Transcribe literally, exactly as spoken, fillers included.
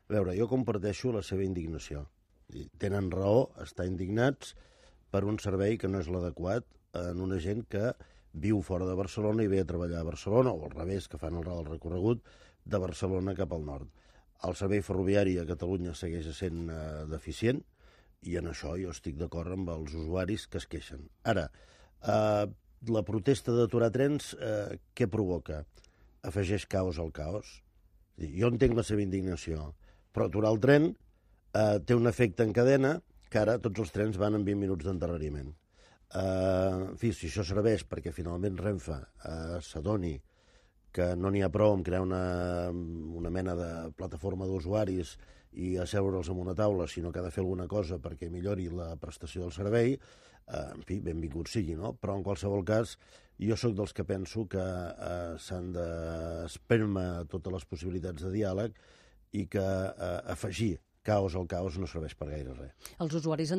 A veure, jo comparteixo la seva indignació. Tenen raó, estar indignats per un servei que no és l'adequat en una gent que viu fora de Barcelona i ve a treballar a Barcelona, o al revés, que fan el recorregut de Barcelona cap al nord. El servei ferroviari a Catalunya segueix sent eh, deficient i en això jo estic d'acord amb els usuaris que es queixen. Ara, eh, la protesta d'aturar trens, eh, què provoca? Afegeix caos al caos. Jo entenc la seva indignació, però aturar el tren eh, té un efecte en cadena que ara tots els trens van en vint minuts d'endarreriment. Eh, en fi, si això serveix perquè finalment Renfe eh, s'adoni que no n'hi ha prou en crear una, una mena de plataforma d'usuaris i asseure'ls en una taula, sinó que ha de fer alguna cosa perquè millori la prestació del servei, eh, en fi, benvingut sigui, no? Però en qualsevol cas, jo sóc dels que penso que eh, s'han d'espermar totes les possibilitats de diàleg i que eh, afegir caos al caos no serveix per gaire res. Els usuaris